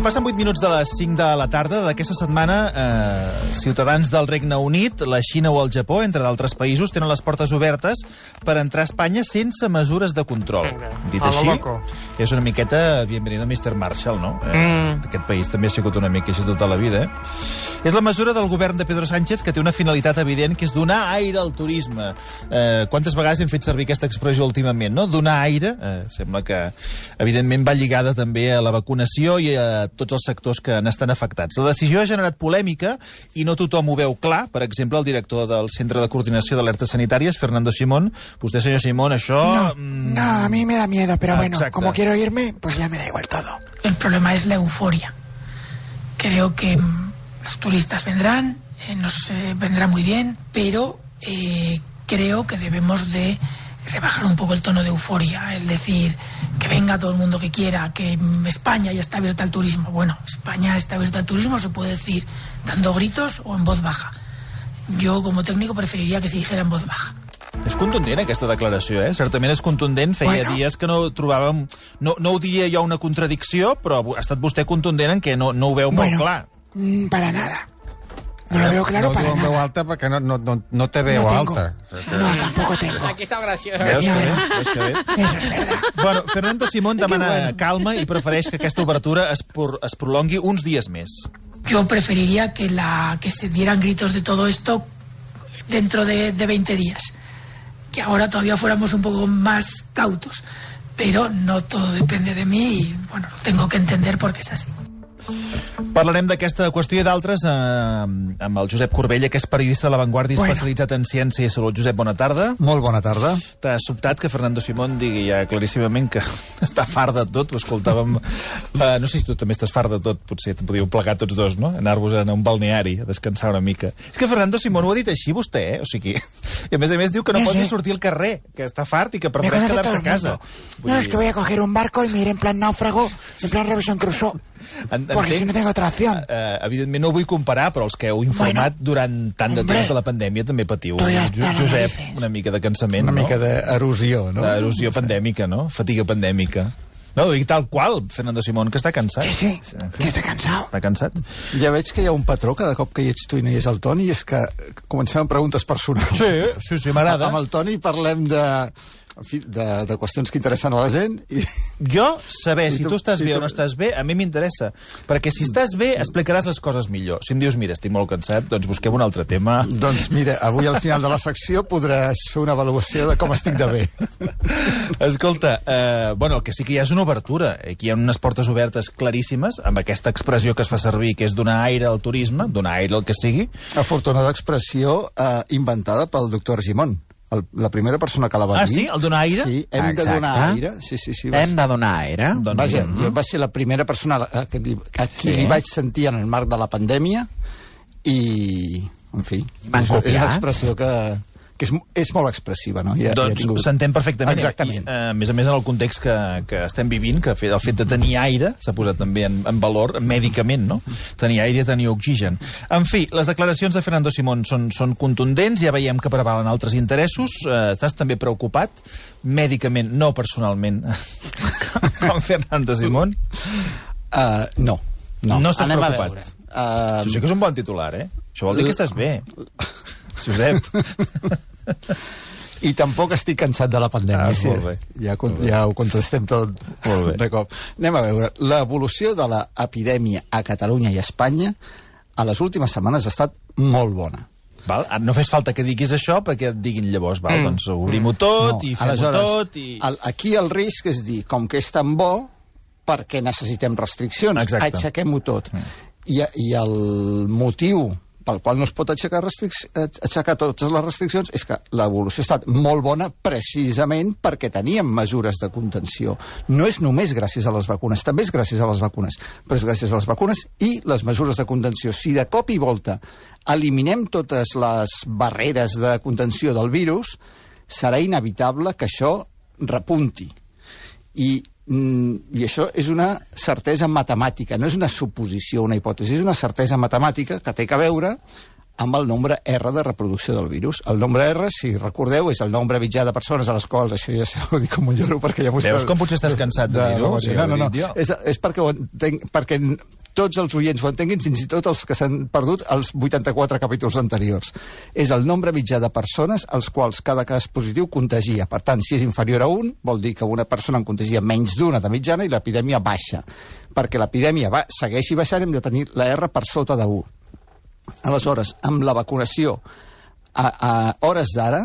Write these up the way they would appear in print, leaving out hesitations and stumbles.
passen 8 minuts de les 5 de la tarda d'aquesta setmana. Ciutadans del Regne Unit, la Xina o el Japó, entre d'altres països, tenen les portes obertes per entrar a Espanya sense mesures de control. Dit així, és una miqueta bienvenido Mr. Marshall, no? Aquest país també ha sigut una mica així tota la vida, És la mesura del govern de Pedro Sánchez que té una finalitat evident, que és donar aire al turisme. Quantes vegades hem fet servir aquesta expressió últimament, no? Donar aire, sembla que evidentment va lligada també a la vacunació i a tots els sectors que n'estan afectats. La decisió ha generat polèmica i no tothom ho veu clar. Per exemple, el director del Centre de Coordinació d'Alertes Sanitàries, Fernando Simón. Vostè, senyor Simón, això... No, a mí me da miedo, pero bueno, como quiero irme, pues ya me da igual todo. El problema es la euforia. Creo que los turistas vendrán, nos vendrá muy bien, pero creo que debemos de rebajar un poco el tono de euforia, es decir, que venga todo el mundo que quiera, que España ya está abierta al turismo. Bueno, España está abierta al turismo, se puede decir dando gritos o en voz baja. Yo, como técnico, preferiría que se dijera en voz baja. És contundent, aquesta declaració, Certament és contundent. Feia dies que no trobàvem... No ho diria jo una contradicció, però ha estat vostè contundent en què no ho veu molt clar. Para nada. No lo veo claro para nada. No veu alta perquè no te veu alta. No, tampoco tengo. Aquí está gracioso. Veus que bé? Eso es verdad. Bueno, Fernando Simón demana calma i prefereix que aquesta obertura es prolongui uns dies més. Yo preferiría que se dieran gritos de todo esto dentro de 20 días. Que ahora todavía fuéramos un poco más cautos. Pero no todo depende de mí y, bueno, lo tengo que entender porque es así. Parlarem d'aquesta qüestió i d'altres amb el Josep Corbella, que és periodista de La Vanguardia especialitzat en ciència i salut. Josep, bona tarda. Molt bona tarda. T'ha sobtat que Fernando Simón digui ja claríssimament que està fart de tot. Ho escoltàvem... No sé si tu també estàs fart de tot, potser te podíeu plegar tots dos, no? Anar-vos a un balneari, a descansar una mica. És que Fernando Simón ho ha dit així, vostè, O sigui... I a més diu que no pot ni sortir al carrer, que està fart i que prefereix quedar-se a casa. No, es que voy a coger un barco y me iré en plan náufrago, en plan Robinson Crusoe. Porque si no tengo otra opción. Evidentment no ho vull comparar, però els que heu informat durant tant de temps de la pandèmia també patiu, Josep, una mica de cansament, Una mica d'erosió, no? D'erosió pandèmica, no? Fatiga pandèmica. No, ho dic tal qual, Fernando Simón, que està cansat. Sí, que està cansat. Està cansat? Ja veig que hi ha un patró cada cop que hi ets tu i no hi és el Toni, i és que comencem amb preguntes personals. Sí, m'agrada. Amb el Toni parlem de qüestions que interessen a la gent. Jo, saber si tu estàs bé o no estàs bé, a mi m'interessa. Perquè si estàs bé, explicaràs les coses millor. Si em dius, mira, estic molt cansat, doncs busquem un altre tema. Doncs mira, avui al final de la secció podràs fer una avaluació de com estic de bé. Escolta, el que sí que hi ha és una obertura. Aquí hi ha unes portes obertes claríssimes, amb aquesta expressió que es fa servir, que és donar aire al turisme, donar aire al que sigui. Afortunada expressió inventada pel doctor Argimon. La primera persona que la va dir... Ah, sí? El donar aire? Sí, hem de donar aire. Sí. Hem de donar aire? Vaja, jo va ser la primera persona a qui li vaig sentir en el marc de la pandèmia i, en fi, és una expressió que és molt expressiva, no? Doncs s'entén perfectament. Exactament. A més, en el context que estem vivint, que el fet de tenir aire s'ha posat també en valor mèdicament, no? Tenir aire i tenir oxigen. En fi, les declaracions de Fernando Simón són contundents, ja veiem que prevalen altres interessos. Estàs també preocupat, mèdicament, no personalment, com Fernando Simón? No. No estàs Anem preocupat? Això sí que és un bon titular, Això vol dir que estàs bé. Josep. I tampoc estic cansat de la pandèmia. Molt bé. Ja ho contestem tot de cop. Anem a veure. L'evolució de l'epidèmia a Catalunya i a Espanya a les últimes setmanes ha estat molt bona. Val? No fes falta que diguis això perquè et diguin llavors, doncs obrim-ho tot i fem-ho tot. Aquí el risc és dir, com que és tan bo, perquè necessitem restriccions, aixequem-ho tot. I el motiu pel qual no es pot aixecar totes les restriccions és que l'evolució ha estat molt bona precisament perquè teníem mesures de contenció. No és només gràcies a les vacunes, també és gràcies a les vacunes, però és gràcies a les vacunes i les mesures de contenció. Si de cop i volta eliminem totes les barreres de contenció del virus, serà inevitable que això repunti. I això és una certesa matemàtica, no és una suposició, una hipòtesi, és una certesa matemàtica que té a veure amb el nombre R de reproducció del virus. El nombre R, si recordeu, és el nombre mitjà de persones a les quals, això ja s'ho dic com un lloro, perquè ja m'ho... Veus com potser estàs cansat de dir-ho? No. És perquè ho entenc, perquè tots els oients ho entenguin, fins i tot els que s'han perdut els 84 capítols anteriors. És el nombre mitjà de persones als quals cada cas positiu contagia. Per tant, si és inferior a 1, vol dir que una persona en contagia menys d'una de mitjana i l'epidèmia baixa. Perquè l'epidèmia segueixi baixant, hem de tenir la R per sota de 1. Aleshores, amb la vacunació a hores d'ara,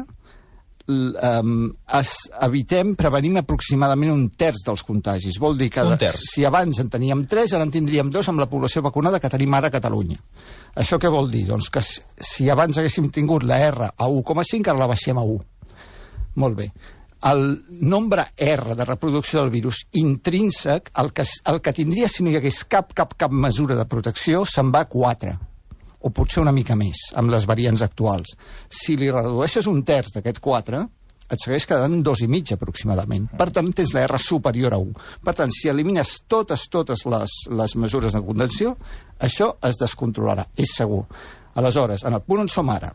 prevenim aproximadament un terç dels contagis. Vol dir que si abans en teníem 3, ara en tindríem 2 amb la població vacunada que tenim ara a Catalunya. Això què vol dir? Doncs que si abans haguéssim tingut la R a 1,5, ara la baixem a 1. Molt bé. El nombre R de reproducció del virus intrínsec, el que tindria si no hi hagués cap mesura de protecció, se'n va a 4. O potser una mica més, amb les variants actuals. Si li redueixes un terç d'aquest 4, et segueix quedant 2,5 aproximadament. Per tant, tens la R superior a 1. Per tant, si elimines totes les mesures de contenció, això es descontrolarà, és segur. Aleshores, en el punt on som ara,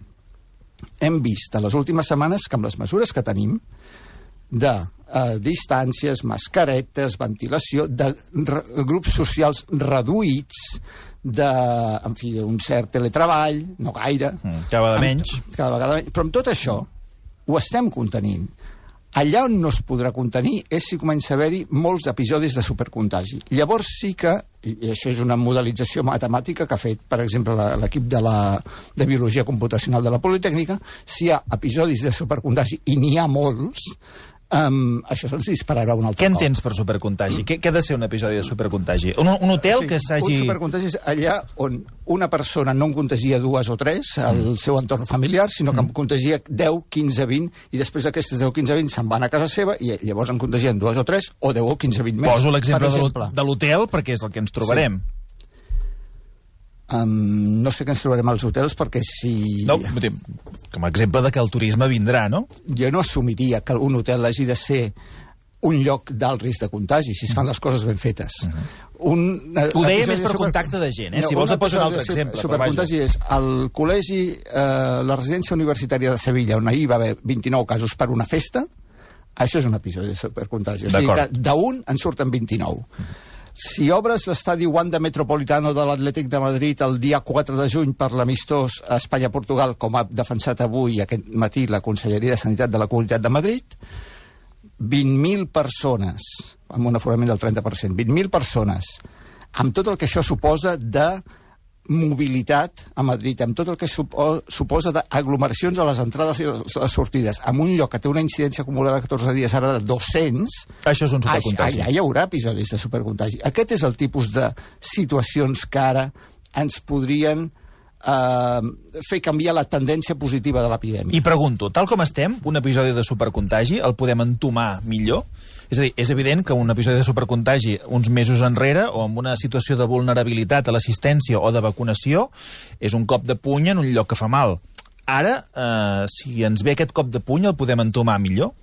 hem vist a les últimes setmanes que amb les mesures que tenim, de distàncies, mascaretes, ventilació, de grups socials reduïts, d'un cert teletreball, no gaire. Cada vegada menys. Però amb tot això ho estem contenint. Allà on no es podrà contenir és si comença a haver-hi molts episodis de supercontagi. Llavors sí que, i això és una modelització matemàtica que ha fet, per exemple, l'equip de Biologia Computacional de la Politècnica, si hi ha episodis de supercontagi, i n'hi ha molts, això se'ls dispararà un altre cop. Què entens per supercontagi? Què ha de ser un episodi de supercontagi? Un hotel que s'hagi... Un supercontagi és allà on una persona no en contagia 2 o 3 al seu entorn familiar, sinó que en contagia 10, 15, 20, i després d'aquestes 10, 15, 20 se'n van a casa seva i llavors en contagien 2 o 3, o 10 o 15, 20 més. Poso l'exemple de l'hotel perquè és el que ens trobarem. Sí. No sé què ens trobarem als hotels perquè si... No, com a exemple de que el turisme vindrà, no? Jo no assumiria que un hotel hagi de ser un lloc d'alt risc de contagi, si es fan les coses ben fetes. Ho deia més per contacte de gent, si vols et poso un altre exemple. Supercontagi és el col·legi, la residència universitària de Sevilla, on ahir va haver 29 casos per una festa, això és un episodi de supercontagi. O sigui que d'un en surten 29. Si obres l'estadi Wanda Metropolitano de l'Atlètic de Madrid el dia 4 de juny per l'amistós a Espanya-Portugal, com ha defensat avui aquest matí la Conselleria de Sanitat de la Comunitat de Madrid, 20.000 persones, amb un aforament del 30%, 20.000 persones, amb tot el que això suposa de mobilitat a Madrid, amb tot el que suposa d'aglomeracions a les entrades i les sortides, en un lloc que té una incidència acumulada de 14 dies ara de 200... Això és un supercontagi. Allà hi haurà episodis de supercontagi. Aquest és el tipus de situacions que ara ens podrien fer canviar la tendència positiva de l'epidèmia. I pregunto, tal com estem, un episodi de supercontagi el podem entomar millor? És a dir, és evident que un episodi de supercontagi uns mesos enrere o amb una situació de vulnerabilitat a l'assistència o de vacunació és un cop de puny en un lloc que fa mal. Ara, si ens ve aquest cop de puny, el podem entomar millor?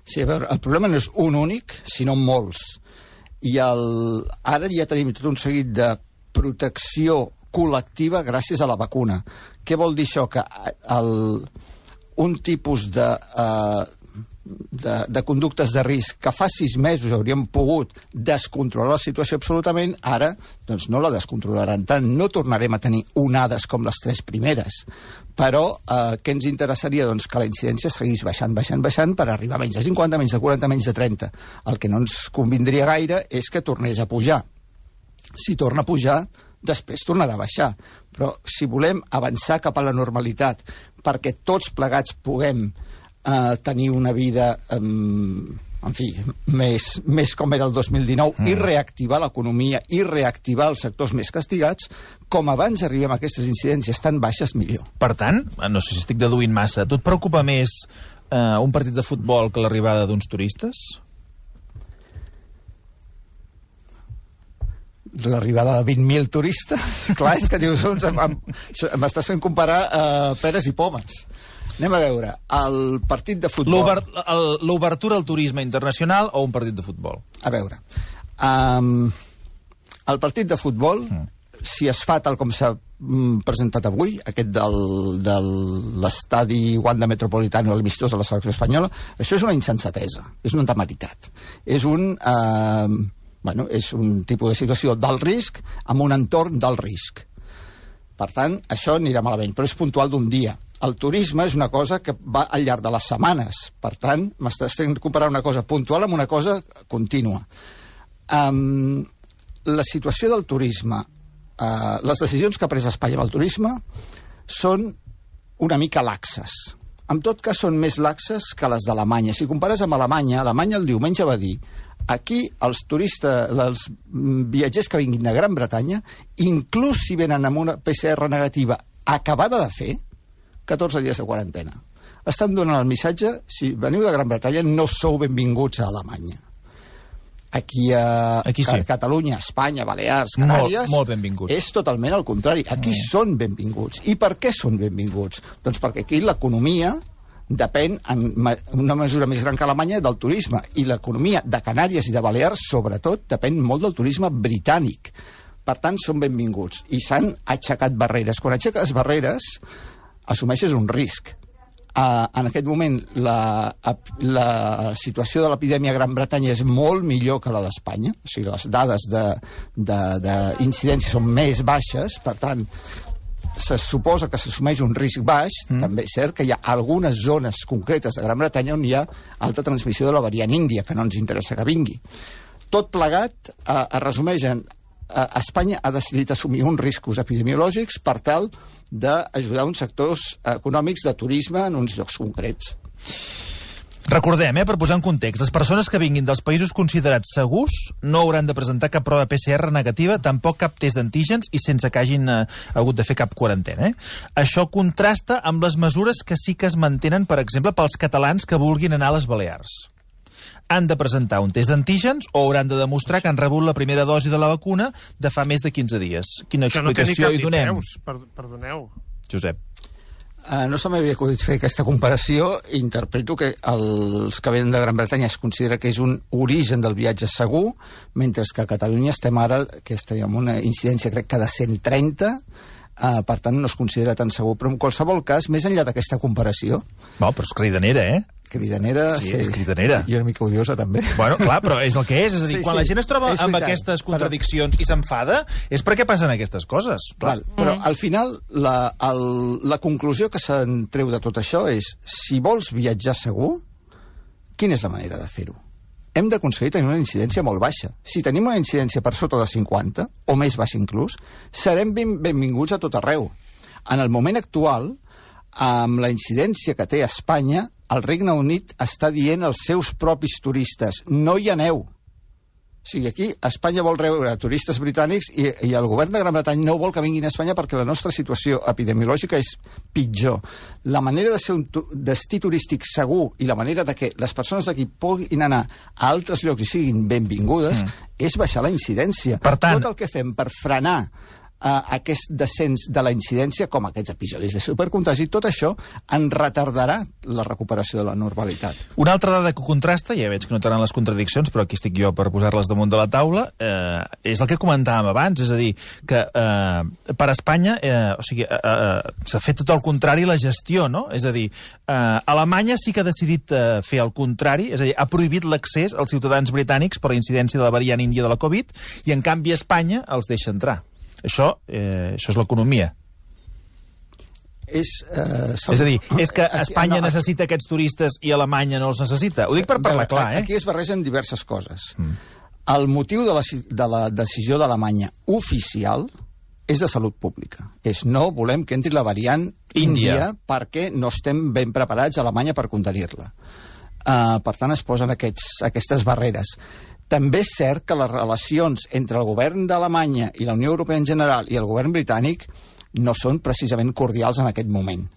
Sí, a veure, el problema no és un únic, sinó molts. I ara ja tenim tot un seguit de protecció col·lectiva gràcies a la vacuna. Què vol dir això? Que un tipus de conductes de risc que fa 6 mesos hauríem pogut descontrolar la situació absolutament, ara doncs no la descontrolaran tant. No tornarem a tenir onades com les 3 primeres. Però què ens interessaria? Doncs que la incidència seguís baixant per arribar a menys de 50, menys de 40, menys de 30. El que no ens convindria gaire és que tornés a pujar. Si torna a pujar, després tornarà a baixar. Però si volem avançar cap a la normalitat perquè tots plegats puguem tenir una vida en fi, més com era el 2019 i reactivar l'economia i reactivar els sectors més castigats, com abans arribem a aquestes incidències tan baixes, millor. Per tant, no sé si estic deduint massa, tu et preocupa més un partit de futbol que l'arribada d'uns turistes? L'arribada de 20.000 turistes? Clar, és que dius, m'estàs fent comparar peres i pomes. Anem a veure, el partit de futbol... L'obertura al turisme internacional o un partit de futbol? A veure, el partit de futbol, si es fa tal com s'ha presentat avui, aquest de l'estadi Wanda Metropolitano, l'amistós de la selecció espanyola, això és una insensatesa, és una temeritat. És un tipus de situació d'alt risc amb un entorn d'alt risc. Per tant, això anirà malament, però és puntual d'un dia. El turisme és una cosa que va al llarg de les setmanes. Per tant, m'estàs fent comparar una cosa puntual amb una cosa contínua. La situació del turisme, les decisions que ha pres Espanya amb el turisme són una mica laxes. En tot cas, són més laxes que les d'Alemanya. Si compares amb Alemanya, Alemanya el diumenge va dir aquí els turistes, els viatgers que vinguin de Gran Bretanya, inclús si venen amb una PCR negativa acabada de fer, 14 dies de quarantena. Estan donant el missatge, si veniu de Gran Bretanya no sou benvinguts a Alemanya. Aquí sí. Catalunya, Espanya, Balears, Canàries... Molt benvinguts. És totalment el contrari. Aquí són benvinguts. I per què són benvinguts? Doncs perquè aquí l'economia depèn, en una mesura més gran que Alemanya, del turisme. I l'economia de Canàries i de Balears, sobretot, depèn molt del turisme britànic. Per tant, són benvinguts. I s'han aixecat barreres. Quan aixeques barreres, assumeixes un risc. En aquest moment la situació de l'epidèmia a Gran Bretanya és molt millor que la d'Espanya, o sigui, les dades d'incidència són més baixes, per tant, se suposa que s'assumeix un risc baix. També és cert que hi ha algunes zones concretes de Gran Bretanya on hi ha alta transmissió de la variant índia, que no ens interessa que vingui. Tot plegat es resumeix en Espanya ha decidit assumir uns riscos epidemiològics per tal d'ajudar uns sectors econòmics de turisme en uns llocs concrets. Recordem, per posar en context, les persones que vinguin dels països considerats segurs no hauran de presentar cap prova PCR negativa, tampoc cap test d'antígens i sense que hagin hagut de fer cap quarantena. Això contrasta amb les mesures que sí que es mantenen, per exemple, pels catalans que vulguin anar a les Balears. Han de presentar un test d'antígens o hauran de demostrar que han rebut la primera dosi de la vacuna de fa més de 15 dies. Quina explicació hi donem? Perdoneu. Josep. No se m'havia acudit fer aquesta comparació. Interpreto que els que venen de Gran Bretanya es considera que és un origen del viatge segur, mentre que a Catalunya estem ara, que estem amb una incidència crec que de 130, per tant no es considera tan segur. Però en qualsevol cas, més enllà d'aquesta comparació... Però és cridanera, Cridanera, sí. És cridanera. I una mica odiosa, també. Bueno, clar, però és el que és. És a dir, quan la gent es troba amb aquestes contradiccions i s'enfada, és perquè passen aquestes coses. Clar. Però al final, la conclusió que se'n treu de tot això és, si vols viatjar segur, quina és la manera de fer-ho? Hem d'aconseguir tenir una incidència molt baixa. Si tenim una incidència per sota de 50, o més baixa inclús, serem benvinguts a tot arreu. En el moment actual, amb la incidència que té Espanya, el Regne Unit està dient als seus propis turistes, no hi aneu. O sigui, aquí Espanya vol rebre turistes britànics i el govern de Gran Bretanya no vol que vinguin a Espanya perquè la nostra situació epidemiològica és pitjor. La manera de ser un destí turístic segur i la manera de que les persones d'aquí puguin anar a altres llocs i siguin benvingudes és baixar la incidència. Per tant, tot el que fem per frenar aquest descens de la incidència, com aquests episodis de supercontagi, tot això en retardarà la recuperació de la normalitat. Una altra dada que contrasta, ja veig que notaran les contradiccions, però aquí estic jo per posar-les damunt de la taula, és el que comentàvem abans, és a dir, que per Espanya s'ha fet tot el contrari la gestió, no? És a dir, Alemanya sí que ha decidit fer el contrari, és a dir, ha prohibit l'accés als ciutadans britànics per la incidència de la variant índia de la Covid, i en canvi Espanya els deixa entrar. Això és l'economia. És a dir, és que Espanya necessita aquests turistes i Alemanya no els necessita. Ho dic per parlar clar, Aquí es barregen diverses coses. El motiu de la decisió d'Alemanya oficial és de salut pública. És no volem que entri la variant índia perquè no estem ben preparats a Alemanya per contenir-la. Per tant, es posen aquestes barreres. També és cert que les relacions entre el govern d'Alemanya i la Unió Europea en general i el govern britànic no són precisament cordials en aquest moment.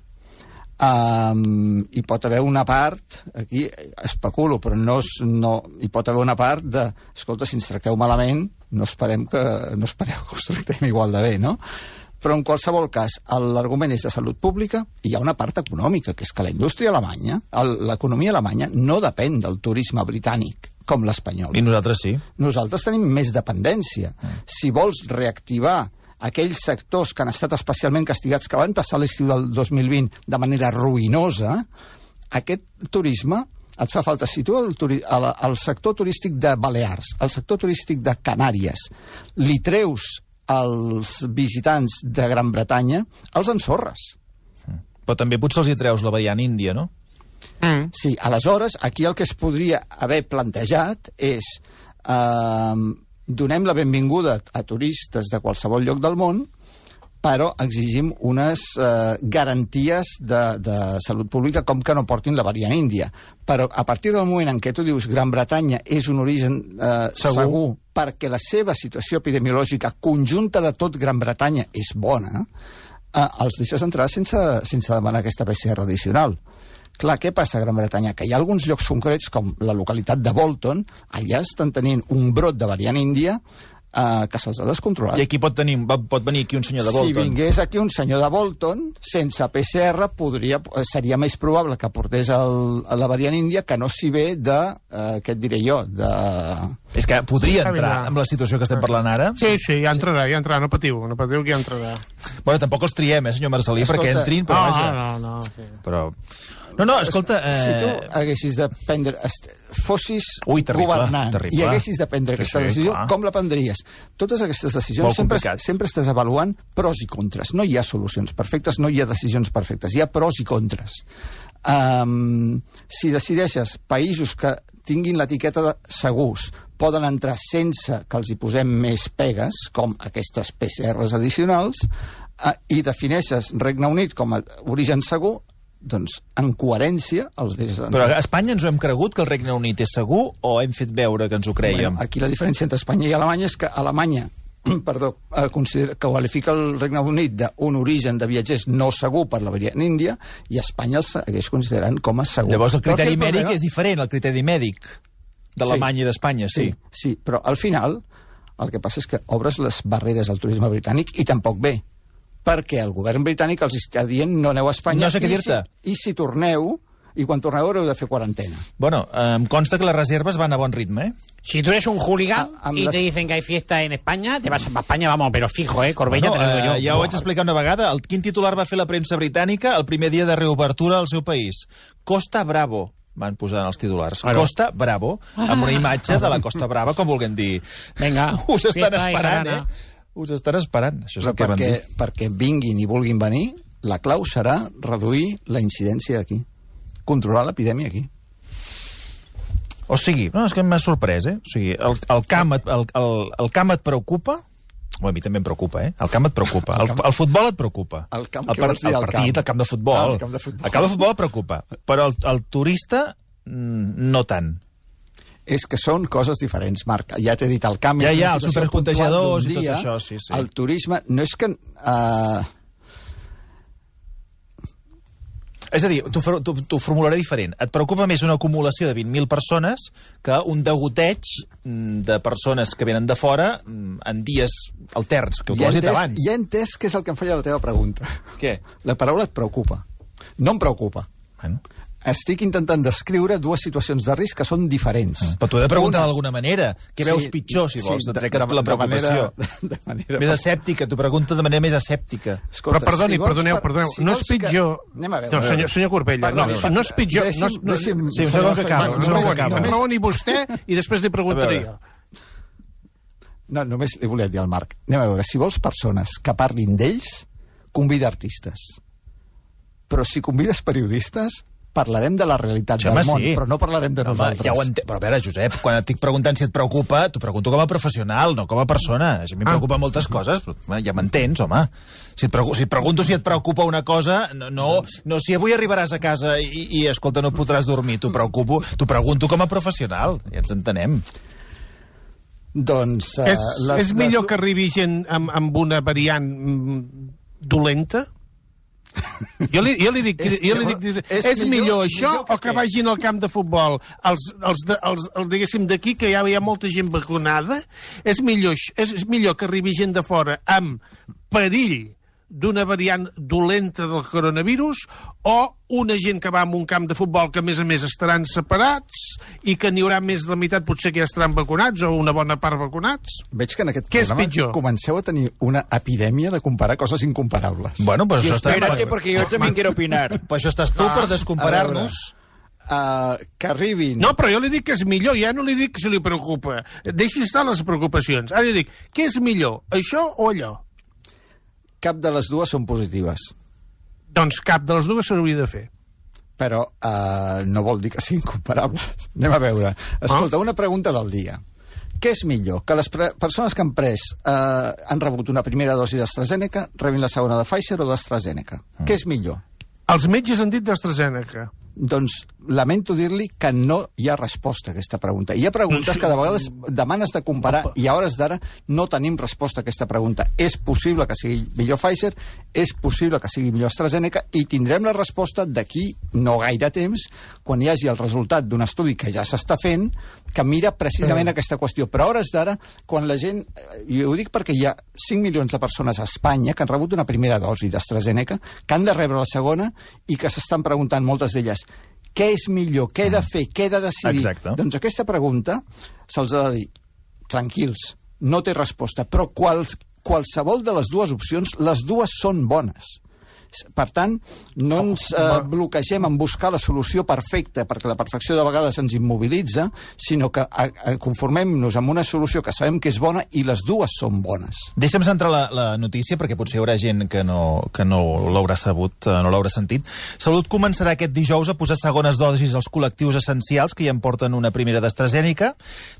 Hi pot haver una part, aquí especulo, però hi pot haver una part de, escolta, si ens tracteu malament, no espereu que us tractem igual de bé, no? Però en qualsevol cas, l'argument és de salut pública i hi ha una part econòmica, que és que la indústria alemanya, l'economia alemanya, no depèn del turisme britànic, com l'espanyol. I nosaltres sí. Nosaltres tenim més dependència. Si vols reactivar aquells sectors que han estat especialment castigats, que van passar l'estiu del 2020 de manera ruïnosa, aquest turisme et fa falta. Si tu al sector turístic de Balears, al sector turístic de Canàries, li treus als visitants de Gran Bretanya, els ensorres. Però també potser els hi treus la variant índia, no? Sí, aleshores, aquí el que es podria haver plantejat és donem la benvinguda a turistes de qualsevol lloc del món, però exigim unes garanties de salut pública com que no portin la variant índia. Però a partir del moment en què tu dius Gran Bretanya és un origen segur perquè la seva situació epidemiològica conjunta de tot Gran Bretanya és bona, els deixes entrar sense demanar aquesta PCR addicional. Clar, què passa a Gran Bretanya? Que hi ha alguns llocs concrets, com la localitat de Bolton, allà estan tenint un brot de variant índia que se'ls ha descontrolat. I aquí pot venir aquí un senyor de Bolton. Si vingués aquí un senyor de Bolton, sense PCR, seria més probable que portés la variant índia que no si ve de, què et diré jo, És que podria entrar amb la situació que estem parlant ara. Sí, ja entrarà, no patiu que ja entrarà. Bueno, tampoc els triem, senyor Marcelí, perquè entrin, però vaja. No. Però... No, escolta... Si tu haguessis de prendre... fossis governant i haguessis de prendre aquesta decisió, com la prendries? Totes aquestes decisions sempre estàs avaluant pros i contres. No hi ha solucions perfectes, no hi ha decisions perfectes. Hi ha pros i contres. Si decideixes països que tinguin l'etiqueta de segurs poden entrar sense que els hi posem més pegues, com aquestes PCRs addicionals, i defineixes Regne Unit com a origen segur, doncs, en coherència, els deixes entrar. Però a Espanya ens ho hem cregut que el Regne Unit és segur o hem fet veure que ens ho creiem? Bueno, aquí la diferència entre Espanya i Alemanya és que Alemanya qualifica el Regne Unit d'un origen de viatgers no segur per la variant índia i Espanya el segueix considerant com a segur. Llavors el criteri mèdic és diferent, el criteri mèdic d'Alemanya i d'Espanya, sí. Sí, però al final el que passa és que obres les barreres al turisme britànic i tampoc bé, perquè el govern britànic els està dient no aneu a Espanya, no sé què dir-te. I si torneu, i quan torneu haureu de fer quarantena. Bueno, em consta que les reserves van a bon ritme, Si tú eres un hooligan y te dicen que hay fiesta en España, te vas a España, vamos, pero fijo, Corbella, te lo digo yo. Ja ho vaig explicar una vegada. Quin titular va fer la premsa britànica el primer dia de reobertura al seu país? Costa Bravo van posar en els titulars. Bueno. Costa Bravo, amb una imatge de la Costa Brava, com vulguem dir. Venga, us estan esperant, Us estan esperant. Això és el que van dir. Perquè vinguin i vulguin venir, la clau serà reduir la incidència aquí. Controlar l'epidèmia aquí. O sigui, no, és que m'ha sorprès, O sigui, el camp et preocupa? A mi també em preocupa, El camp et preocupa. El futbol et preocupa. El camp, el partit, el camp de futbol. El camp de futbol et preocupa. Però el turista, no tant. És que són coses diferents, Marc. Ja t'he dit, el camp... Ja, els supercontagiadors i tot això, sí. El turisme, no és que... És a dir, t'ho formularé diferent. Et preocupa més una acumulació de 20.000 persones que un degoteig de persones que venen de fora en dies alterns, que ho has dit abans. Ja he entès què és el que em falla la teva pregunta. Què? La paraula et preocupa. No em preocupa. Bueno. Estic intentant descriure dues situacions de risc que són diferents. Però t'ho he de preguntar d'alguna manera. Què veus pitjor, si vols? Et trec la preocupació. De manera més escèptica, t'ho pregunto de manera més escèptica. Però perdoneu. No és pitjor... Anem a veure. No, senyor Corbella, no és pitjor... Sí, un segon que acaba. No m'ho ni vostè i després li preguntaré jo. No, només li volia dir al Marc. Anem a veure, si vols persones que parlin d'ells, convida artistes. Però si convides periodistes, parlarem de la realitat del món, però no parlarem de nosaltres. Ja ho entenc. Però a veure, Josep, quan et estic preguntant si et preocupa, t'ho pregunto com a professional, no com a persona. A mi em preocupen moltes coses, però ja m'entens, home. Si et pregunto si et preocupa una cosa, no si avui arribaràs a casa i escolta, no podràs dormir, t'ho pregunto com a professional. Ja ens entenem. Doncs... És millor que arribi gent amb una variant dolenta? Jo li dic, és millor això o que vagin al camp de futbol diguéssim d'aquí, que ja hi ha molta gent vacunada? És millor que arribi gent de fora amb perill d'una variant dolenta del coronavirus o una gent que va a un camp de futbol que, a més, estaran separats i que n'hi haurà més de la meitat potser que ja estaran vacunats o una bona part vacunats? Veig que en aquest Què és programa pitjor? Comenceu a tenir una epidèmia de comparar coses incomparables. Bueno, pues això està... Espérate, porque yo también quiero opinar. Pues això estàs tu per descomparar-nos. Que arribin... No, però jo li dic que és millor, ja no li dic si li preocupa. Deixi estar les preocupacions. Ara li dic, què és millor, això o allò? Cap de les dues són positives. Doncs cap de les dues s'hauria de fer. Però no vol dir que siguin comparables. Anem a veure. Escolta, una pregunta del dia. Què és millor? Que les persones que han rebut una primera dosi d'AstraZeneca rebin la segona de Pfizer o d'AstraZeneca? Què és millor? Els metges han dit d'AstraZeneca. Doncs lamento dir-li que no hi ha resposta a aquesta pregunta. Hi ha preguntes que de vegades demanes de comparar i a hores d'ara no tenim resposta a aquesta pregunta. És possible que sigui millor Pfizer, és possible que sigui millor AstraZeneca i tindrem la resposta d'aquí no gaire temps quan hi hagi el resultat d'un estudi que ja s'està fent que mira precisament aquesta qüestió. Però a hores d'ara, quan la gent... I ho dic perquè hi ha 5 milions de persones a Espanya que han rebut una primera dosi d'AstraZeneca, que han de rebre la segona i que s'estan preguntant moltes d'elles què és millor, què he de fer, què he de decidir. Exacte. Doncs aquesta pregunta se'ls ha de dir, tranquils, no té resposta, però qualsevol de les dues opcions, les dues són bones. Per tant, no ens bloquegem en buscar la solució perfecta, perquè la perfecció de vegades ens immobilitza, sinó que conformem-nos amb una solució que sabem que és bona i les dues són bones. Deixa'm centrar la notícia, perquè potser hi haurà gent que no l'haurà sabut, no l'haurà sentit. Salut començarà aquest dijous a posar segones dosis als col·lectius essencials que ja en porten una primera d'AstraZeneca.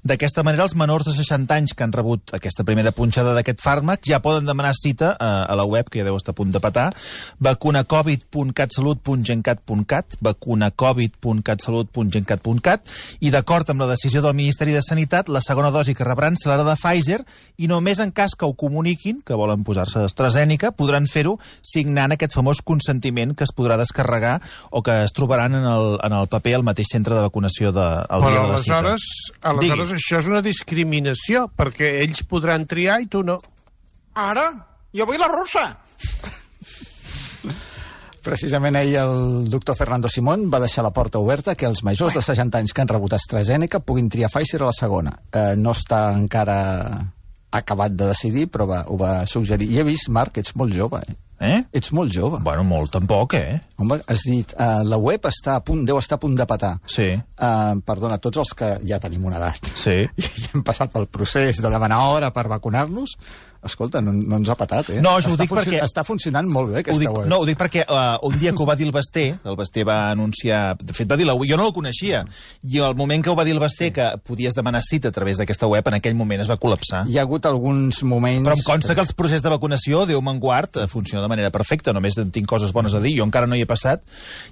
D'aquesta manera, els menors de 60 anys que han rebut aquesta primera punxada d'aquest fàrmac ja poden demanar cita a la web, que ja deu estar a punt de petar, vacunacovid.catsalut.gencat.cat, vacunacovid.catsalut.gencat.cat, i d'acord amb la decisió del Ministeri de Sanitat, la segona dosi que rebran serà la de Pfizer i només en cas que ho comuniquin, que volen posar-se AstraZeneca, podran fer-ho signant aquest famós consentiment que es podrà descarregar o que es trobaran en el paper al mateix centre de vacunació al dia de la cita. Aleshores això és una discriminació, perquè ells podran triar i tu no. Ara, jo vull la russa. Precisament ahir el doctor Fernando Simón va deixar la porta oberta que els majors de 60 anys que han rebut AstraZeneca puguin triar Pfizer a la segona. No està encara acabat de decidir, però ho va suggerir. I he vist, Marc, ets molt jove, Ets molt jove. Bueno, molt tampoc, Home, has dit, la web deu estar a punt de petar. Sí. Perdona, tots els que ja tenim una edat sí. i hem passat pel procés de demanar hora per vacunar-nos, escolta, no ens ha petat, No, ho dic perquè... Està funcionant molt bé, aquesta web. No, ho dic perquè un dia que ho va dir el Basté va anunciar... De fet, va dir jo no el coneixia, i al moment que ho va dir el Basté que podies demanar cita a través d'aquesta web, en aquell moment es va col·lapsar. Hi ha hagut alguns moments... Però em consta que el procés de vacunació, Déu me'n guard, funciona de manera perfecta, només tinc coses bones a dir, jo encara no hi he passat,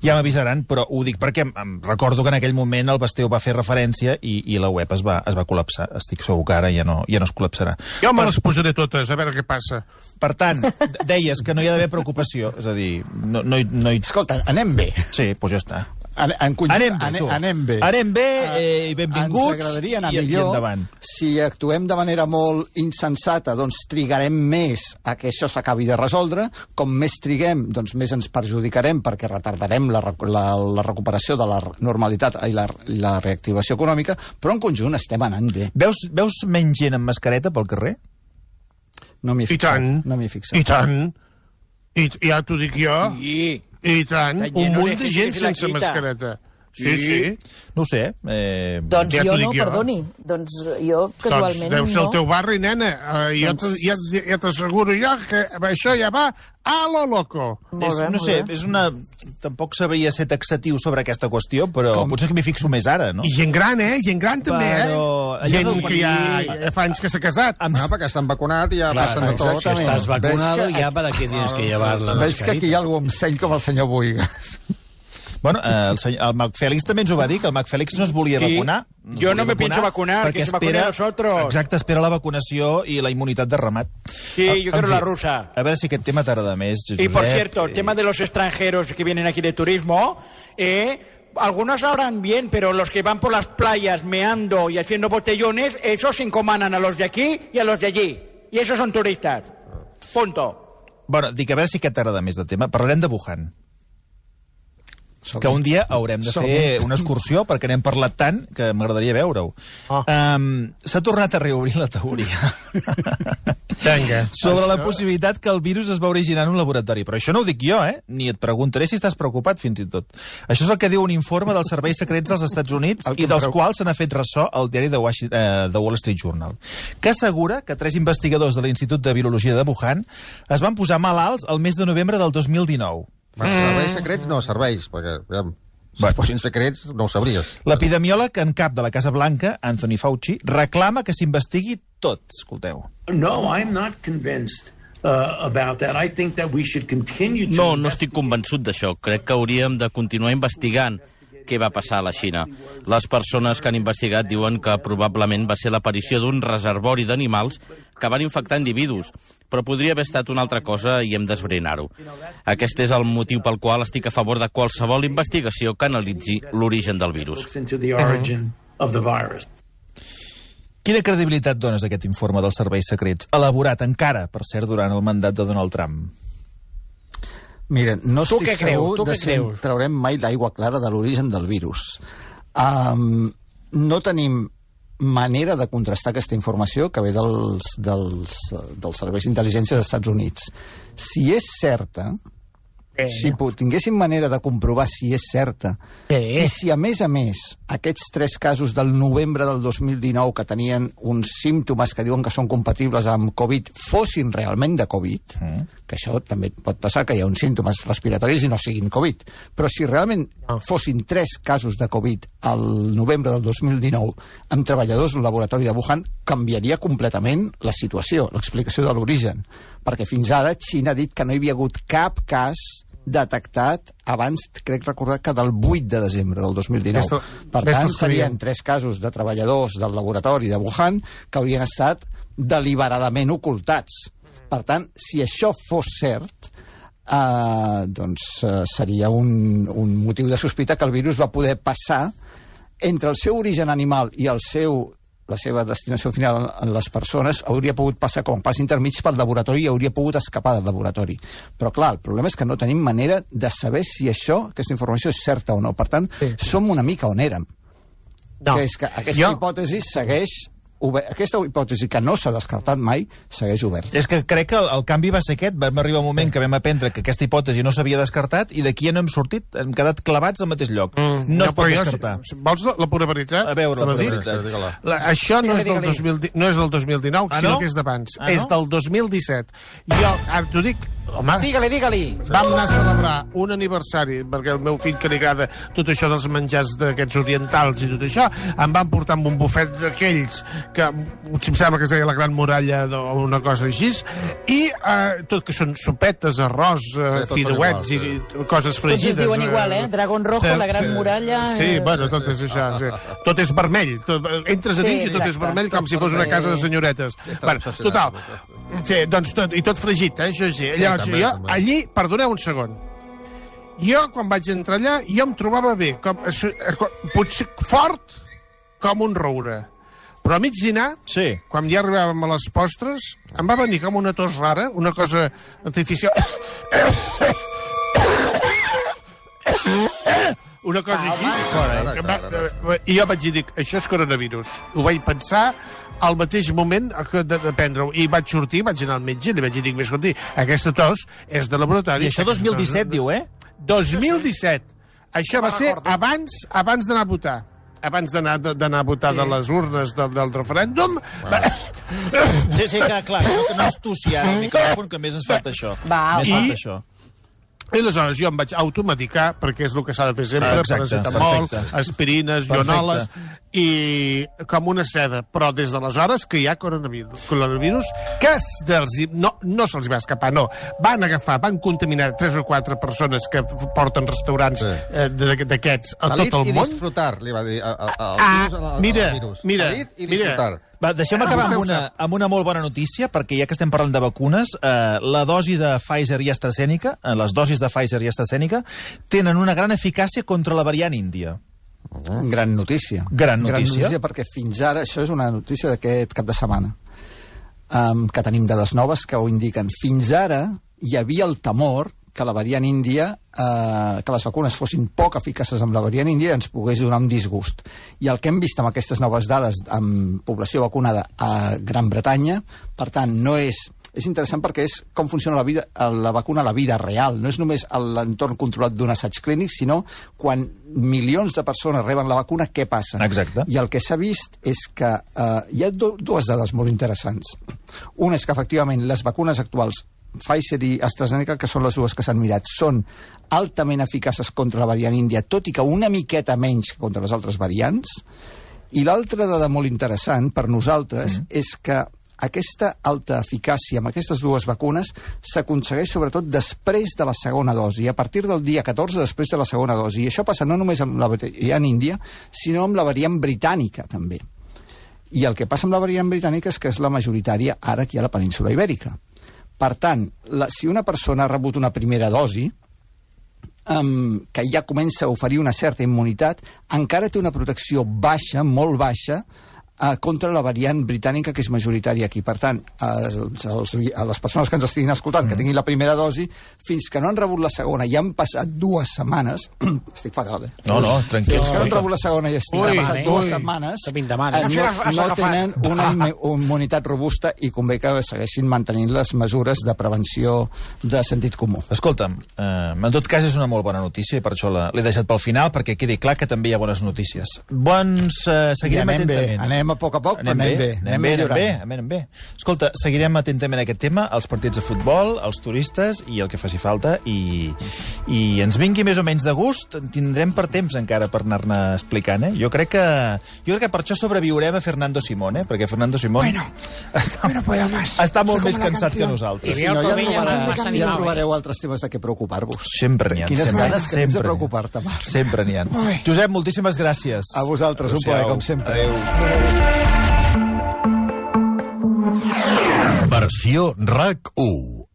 ja m'avisaran, però ho dic perquè em recordo que en aquell moment el Basté ho va fer referència i la web es va col·lapsar. Estic segur que ara ja no es col·lapsarà. Jo me les posaré totes, a veure què passa. Per tant, deies que no hi ha d'haver preocupació, és a dir, no hi... Escolta, anem bé. Sí, doncs ja està. Anem bé. Anem bé i benvinguts. Ens agradaria anar i millor. Endavant. Si actuem de manera molt insensata, doncs trigarem més a que això s'acabi de resoldre. Com més triguem, doncs més ens perjudicarem perquè retardarem la recuperació de la normalitat i la reactivació econòmica, però en conjunt estem anant bé. Veus menys gent amb mascareta pel carrer? No m'hi he fixat. I tant. I ja t'ho dic jo. I tant. Un munt de gent sense mascareta. Sí. No ho sé. Doncs jo no, perdoni. Doncs jo casualment no. Deu ser el teu barri, nena. Ja t'asseguro jo que això ja va a lo loco. No sé, tampoc sabria ser taxatiu sobre aquesta qüestió, però potser que m'hi fixo més ara, no? I gent gran, gent gran també, Gent que ja fa anys que s'ha casat. Perquè s'han vacunat i ja passen de tot. Si estàs vacunado, ya para qué tienes que llevar la mascarita. Veig que aquí hi ha algú amb seny com el senyor Boigas. Bueno, el Mac Fèlix també ens ho va dir, que el Mac Fèlix no es volia vacunar. Jo no me pienso vacunar, que se vacunen nosotros. Exacte, espera la vacunació y la inmunitat de ramat. Sí, yo quiero la rusa. A ver si aquest tema t'agrada més, Josep. Y por cierto, el tema de los extranjeros que vienen aquí de turismo, algunos hablan bien, pero los que van por las playas meando y haciendo botellones, esos encomanan a los de aquí y a los de allí. Y esos son turistas. Punto. Bueno, dic, a veure si aquest t'agrada més de tema. Parlarem de Wuhan. Que un dia haurem de fer una excursió, perquè n'hem parlat tant que m'agradaria veure-ho. S'ha tornat a reobrir la teoria sobre la possibilitat que el virus es va originar en un laboratori. Però això no ho dic jo, ni et preguntaré si estàs preocupat, fins i tot. Això és el que diu un informe dels serveis secrets dels Estats Units i dels quals se n'ha fet ressò al diari de Wall Street Journal, que assegura que 3 investigadors de l'Institut de Virologia de Wuhan es van posar malalts el mes de novembre del 2019. Serveis secrets no, serveis, perquè si fossin secrets no ho sabries. L'epidemiòleg en cap de la Casa Blanca, Anthony Fauci, reclama que s'investigui tot. Escolteu. No, I'm not convinced about that. I think that we should continue to... No estic convençut d'això. Crec que hauríem de continuar investigant què va passar a la Xina. Les persones que han investigat diuen que probablement va ser l'aparició d'un reservori d'animals que van infectar individus, però podria haver estat una altra cosa i hem d'esbrinar-ho. Aquest és el motiu pel qual estic a favor de qualsevol investigació que analitzi l'origen del virus. Quina credibilitat dones a aquest informe dels serveis secrets, elaborat encara, per cert, durant el mandat de Donald Trump? Mira, no estic segur de si traurem mai l'aigua clara de l'origen del virus. No tenim manera de contrastar aquesta informació que ve dels serveis d'intel·ligència dels Estats Units. Si és certa, si tinguéssim manera de comprovar si és certa, i si a més, aquests 3 casos del novembre del 2019 que tenien uns símptomes que diuen que són compatibles amb Covid fossin realment de Covid, que això també pot passar, que hi ha uns símptomes respiratoris i no siguin Covid, però si realment fossin 3 casos de Covid al novembre del 2019 amb treballadors del laboratori de Wuhan, canviaria completament la situació, l'explicació de l'origen, perquè fins ara Xina ha dit que no hi havia hagut cap cas detectat abans, crec recordar, que del 8 de desembre del 2019. Per tant, serien 3 casos de treballadors del laboratori de Wuhan que haurien estat deliberadament ocultats. Per tant, si això fos cert, seria un motiu de sospita que el virus va poder passar entre el seu origen animal i la seva destinació final en les persones, hauria pogut passar com a pas intermig pel laboratori i hauria pogut escapar del laboratori. Però clar, el problema és que no tenim manera de saber si aquesta informació és certa o no. Per tant, som una mica on érem. Que és que aquesta hipòtesi segueix... Aquesta hipòtesi que no s'ha descartat mai segueix oberta. És que crec que el canvi va ser aquest. Vam arribar un moment que vam aprendre que aquesta hipòtesi no s'havia descartat i d'aquí ja no hem sortit. Hem quedat clavats al mateix lloc. No es pot descartar. Vols la pura veritat? A veure, la pura veritat. Això no és del 2019, sinó que és d'abans. És del 2017. Jo, ara t'ho dic, home... Digue-li. Vam anar a celebrar un aniversari, perquè el meu fill, que li agrada tot això dels menjars d'aquests orientals i tot això, em van portar amb un bufet d'aquells que em sembla que es deia la Gran Muralla o una cosa així, i tot que són sopetes, arròs, fideuets i coses fregides. Tots es diuen igual, Dragón Rojo, la Gran Muralla... Sí, bueno, tot és això. Tot és vermell. Entres a dins i tot és vermell com si fos una casa de senyoretes. Total. Sí, doncs i tot fregit, això sí. Llavors, jo allí, perdoneu un segon, jo quan vaig entrar allà, jo em trobava bé, potser fort com un roure. Però a mig dinar, quan ja arribàvem a les postres, em va venir com una tos rara, una cosa artificial. Una cosa així. I jo vaig dir, això és coronavirus. Ho vaig pensar al mateix moment de prendre-ho. I vaig sortir, vaig anar al metge, li vaig dir, escolti, aquesta tos és de laboratori. I això 2017, diu, 2017. Això va ser abans d'anar a votar. Abans d'anar a votar de les urnes del referèndum. Sí, clar, que no es tossi ara el micròfon, que més ens falta això. I aleshores jo em vaig automedicar, perquè és el que s'ha de fer sempre, paracetamol, aspirines, ionoles, i com una seda. Però des d'aleshores que hi ha coronavirus, que no se'ls va escapar, no. Van contaminar 3 o 4 persones que porten restaurants d'aquests a tot el món. I disfrutar, li va dir al virus. Mira. I disfrutar. Va, deixem acabar amb una molt bona notícia, perquè ja que estem parlant de vacunes, la dosi de Pfizer i AstraZeneca, les dosis de Pfizer i AstraZeneca, tenen una gran eficàcia contra la variant índia. Gran notícia. Gran notícia, perquè fins ara, això és una notícia d'aquest cap de setmana, que tenim dades noves que ho indiquen. Fins ara, hi havia el temor que la variant índia, que les vacunes fossin poc eficaces amb la variant índia i ens pogués donar un disgust. I el que hem vist amb aquestes noves dades amb població vacunada a Gran Bretanya, per tant, no és interessant perquè és com funciona la vacuna a la vida real. No és només l'entorn controlat d'un assaig clínic, sinó quan milions de persones reben la vacuna, què passa? Exacte. I el que s'ha vist és que hi ha dues dades molt interessants. Una és que, efectivament, les vacunes actuals, Pfizer i AstraZeneca, que són les dues que s'han mirat, són altament eficaces contra la variant índia, tot i que una miqueta menys que contra les altres variants. I l'altra dada molt interessant per nosaltres és que aquesta alta eficàcia amb aquestes dues vacunes s'aconsegueix sobretot després de la segona dosi, a partir del dia 14 després de la segona dosi. I això passa no només amb la variant índia, sinó amb la variant britànica, també. I el que passa amb la variant britànica és que és la majoritària ara aquí a la península Ibèrica. Per tant, si una persona ha rebut una primera dosi, que ja comença a oferir una certa immunitat, encara té una protecció baixa, molt baixa, contra la variant britànica, que és majoritària aquí. Per tant, a les persones que ens estiguin escoltant, que tinguin la primera dosi, fins que no han rebut la segona i han passat 2 setmanes... Estic fatal, No, tranquil. Fins que no han rebut la segona i han passat 2 setmanes, no tenen una immunitat robusta i convé que segueixin mantenint les mesures de prevenció de sentit comú. Escolta'm, en tot cas és una molt bona notícia i per això l'he deixat pel final, perquè quedi clar que també hi ha bones notícies. Seguirem atentament. Anem a poc, però anem bé. Escolta, seguirem atentament aquest tema, els partits de futbol, els turistes i el que faci falta, i ens vingui més o menys de gust, tindrem per temps encara per anar-ne explicant, eh? Jo crec que per això sobreviurem a Fernando Simón, perquè Fernando Simón està molt més cansat que nosaltres. Si no, ja trobareu altres temes de què preocupar-vos. Sempre n'hi ha. Quines ganes que tens de preocupar-te, Marc. Sempre n'hi ha. Josep, moltíssimes gràcies. A vosaltres, un plaer, com sempre. Adéu. Versió RAC 1.